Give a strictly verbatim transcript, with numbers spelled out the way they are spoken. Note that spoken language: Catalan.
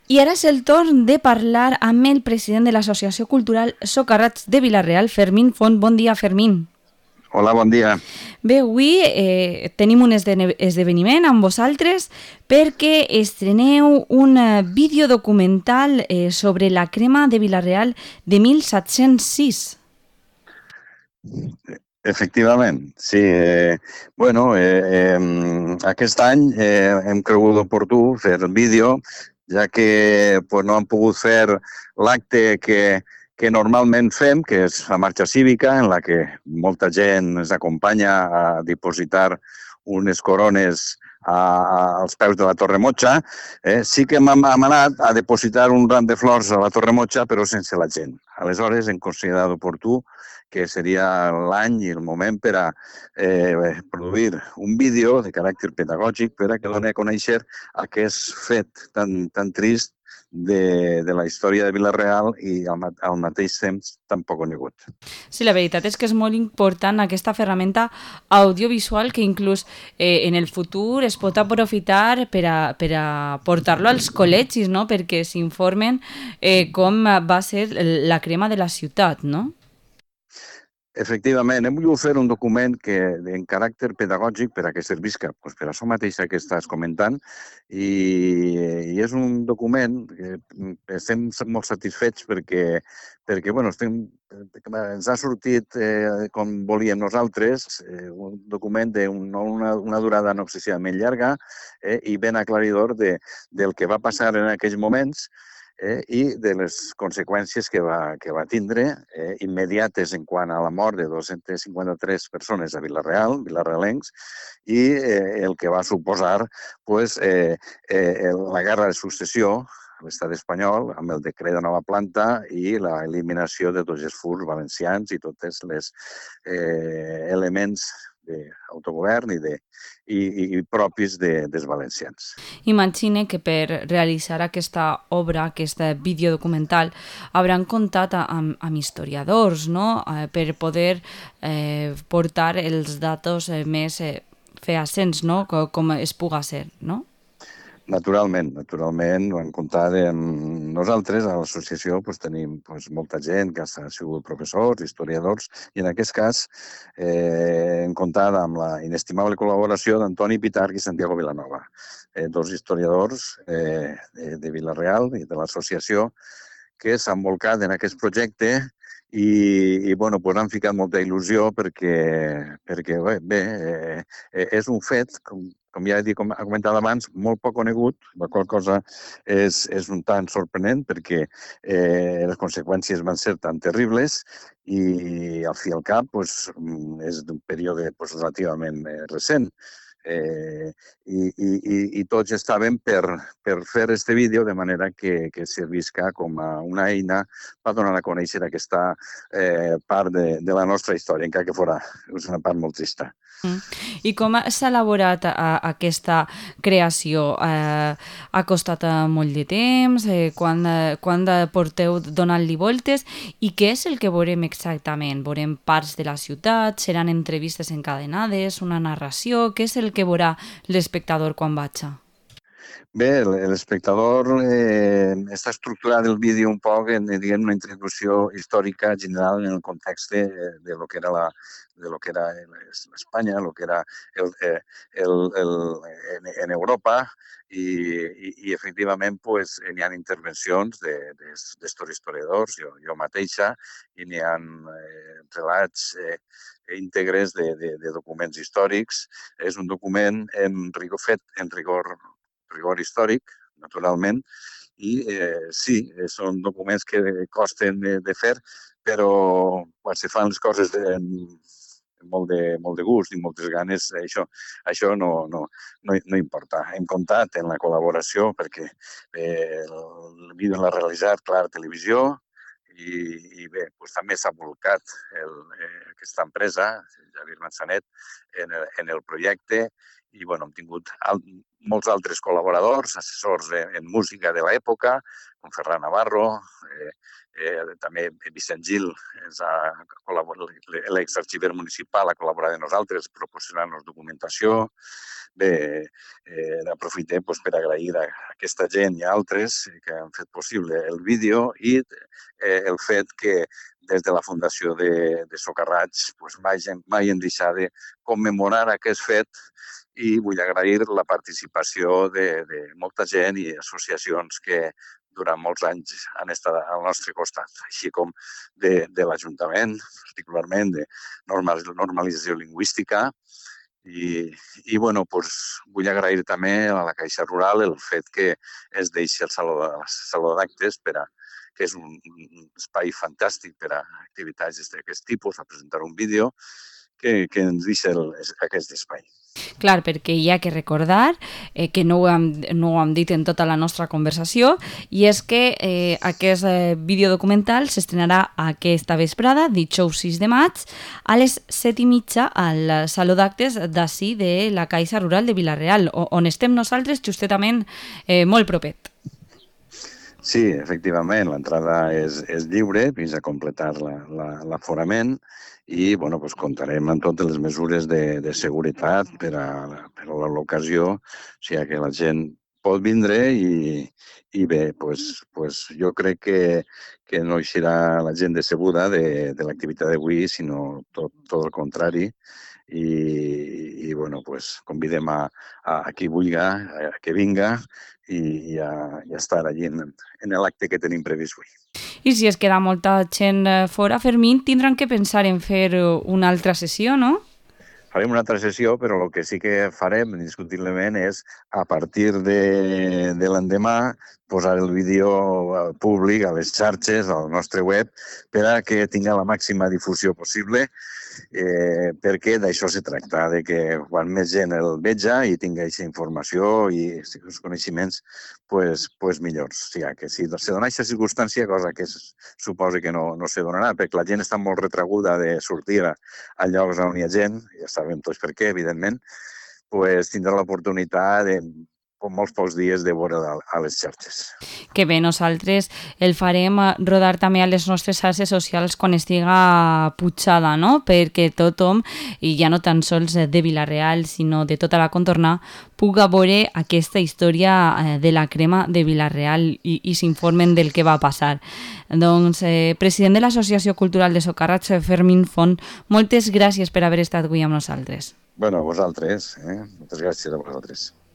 I ara és el torn de parlar amb el president de l'Associació Cultural Socarrats de Vila-real, Fermín Font. Bon dia, Fermín. Hola, bon dia. Bé, avui eh, tenim un esdene- esdeveniment amb vosaltres perquè estreneu un eh, videodocumental eh, sobre la crema de Vila-real de mil set-cents sis. Efectivament, sí. Eh, bueno, eh, eh, aquest any eh, hem cregut oportú fer el vídeo, ja que pues, no hem pogut fer l'acte que, que normalment fem, que és la marxa cívica, en la que molta gent ens acompanya a dipositar unes corones a, a, als peus de la Torre Motxa. Eh, sí que hem, hem anat a depositar un ram de flors a la Torre Motxa, però sense la gent. Aleshores, hem considerat oportú que seria l'any i el moment per a eh, produir un vídeo de caràcter pedagògic per a que doni a conèixer aquest fet tan, tan trist de, de la història de Vila-real i al, al mateix temps tan poc conegut. Sí, la veritat és que és molt important aquesta ferramenta audiovisual que inclús eh, en el futur es pot aprofitar per a, per a portar-lo als col·legis, no? Perquè s'informen eh, com va ser la crema de la ciutat, no? Efectivament, hem volgut fer un document que en caràcter pedagògic per a que servisca pues, per a això mateixa que estàs comentant i, i és un document que estem molt satisfets perquè, perquè bueno, estem, ens ha sortit eh, com volíem nosaltres, eh, un document d'una una, una durada no excessivament llarga eh, i ben aclaridor de, del que va passar en aquells moments eh, i de les conseqüències que va, que va tindre eh, immediates en quant a la mort de dos-centes cinquanta-tres persones a Vila-real, vilarrealencs, i eh, el que va suposar pues, eh, eh, la guerra de successió a l'estat espanyol amb el decret de nova planta i l'eliminació de tots els furs valencians i tots els eh, elements d'autogovern i, de, i, i propis de, dels valencians. Imagine que per realitzar aquesta obra, aquest videodocumental, hauran comptat amb, amb historiadors, no? Eh, per poder eh, portar els datos eh, més eh, fehacients, no? Com, com es puga ser, no? Naturalment, naturalment, ho hem comptat amb nosaltres, a l'associació pues, tenim pues, molta gent que ha sigut professors, historiadors, i en aquest cas eh, hem comptat amb la inestimable col·laboració d'Antoni Pitarch i Santiago Vilanova, eh, dos historiadors eh, de, de Vila-real i de l'associació que s'han volcat en aquest projecte i, i bueno, pues han ficat molta il·lusió perquè, perquè bé, bé eh, és un fet, com, com ja he dit, com he comentat abans, molt poc conegut, la qual cosa és, és un tant sorprenent perquè eh, les conseqüències van ser tan terribles i al fi i al cap pues, és d'un període pues, relativament eh, recent. Eh, i, i, i tots estaven per, per fer este vídeo de manera que, que servisca com a una eina per donar a conèixer aquesta eh, part de, de la nostra història, encara que fora és una part molt trista. Mm. I com s'ha elaborat a, a aquesta creació? Eh, ha costat eh, molt de temps? Eh, quan, eh, quan porteu donant-li voltes? I què és el que veurem exactament? Veurem parts de la ciutat? Seran entrevistes encadenades? Una narració? Què és el que veurà l'espectador quan vaig? Bé, l'espectador eh, està estructurat el vídeo un poc en diguem, una introducció històrica general en el context de, de lo que era la de lo que era Espanya, lo que era el, el, el, en, en Europa i, i, i efectivament pues, n'hi ha intervencions d'estos historiadors, jo, jo mateixa, i n'hi ha eh, relats eh, íntegres de, de, de documents històrics. És un document en rigor, fet en rigor rigor històric, naturalment, i eh, sí, són documents que costen de, de fer, però quan se fan les coses de, amb molt de, molt de gust i moltes ganes, això, això no, no, no, no importa. Hem comptat en la col·laboració perquè eh, el vídeo l'ha realitzat Clar Televisió i, i bé, doncs també s'ha volcat el, eh, aquesta empresa, Javier Manzanet, en el, en el projecte i bueno, hem tingut al, molts altres col·laboradors, assessors en, en música de l'època, com Ferran Navarro, eh, eh, també Vicent Gil, l'exarxiver municipal, ha col·laborat amb nosaltres proporcionant-nos documentació. Bé, eh, aprofitem doncs, per agrair a aquesta gent i a altres que han fet possible el vídeo i eh, el fet que des de la Fundació de, de Socarrats doncs, mai, mai hem deixat de commemorar aquest fet i vull agrair la participació de, de molta gent i associacions que durant molts anys han estat al nostre costat, així com de, de l'Ajuntament, particularment de normalització lingüística. I, i bueno, doncs, vull agrair també a la Caixa Rural el fet que es deixi el Saló d'Actes, que és un, un espai fantàstic per a activitats d'aquest tipus, a presentar un vídeo, que, que ens deixa el, aquest espai. Clar, perquè hi ha que recordar eh, que no ho, hem, no ho hem dit en tota la nostra conversació, i és que eh, aquest eh, videodocumental s'estrenarà aquesta vesprada, dijous sis de maig, a les set i mitja al Saló d'Actes d'ací de la Caixa Rural de Vila-real, on estem nosaltres justament eh, molt propet. Sí, efectivament, l'entrada és, és lliure fins a completar l'aforament i bueno, doncs comptarem amb totes les mesures de, de seguretat per a, per a l'ocasió, o sigui que la gent pot vindre i, i bé, doncs, doncs jo crec que, que no hi serà la gent decebuda de, de l'activitat d'avui, sinó tot, tot el contrari. I, i bueno, pues, convidem a, a, a qui vulgui a que vinga i, i, a, i a estar allí en, en l'acte que tenim previst avui. I si es queda molta gent fora, Fermín, tindran que pensar en fer una altra sessió, no? Farem una altra sessió, però el que sí que farem, indiscutiblement, és a partir de, de l'endemà posar el vídeo públic a les xarxes, al nostre web, per a que tingui la màxima difusió possible, eh, perquè d'això se tracta, de que quan més gent el veja i tingui aquesta informació i els coneixements, pues, pues millors. O sigui, que si se dona aquesta circumstància, cosa que suposo que no, no se donarà, perquè la gent està molt retraguda de sortir a, a llocs on hi ha gent, ja sabem tots per què, evidentment, pues, tindrà l'oportunitat de com molts pocs dies de veure a les xarxes. Que bé, nosaltres el farem rodar també a les nostres xarxes socials quan estiga putxada, no? Perquè tothom, i ja no tan sols de Vila-real, sinó de tota la contorna, puga veure aquesta història de la crema de Vila-real i, i s'informen del que va passar. Doncs, eh, president de l'Associació Cultural de Socarrats, Fermín Font, moltes gràcies per haver estat avui amb nosaltres. Bueno, a vosaltres. Eh? Moltes gràcies a vosaltres.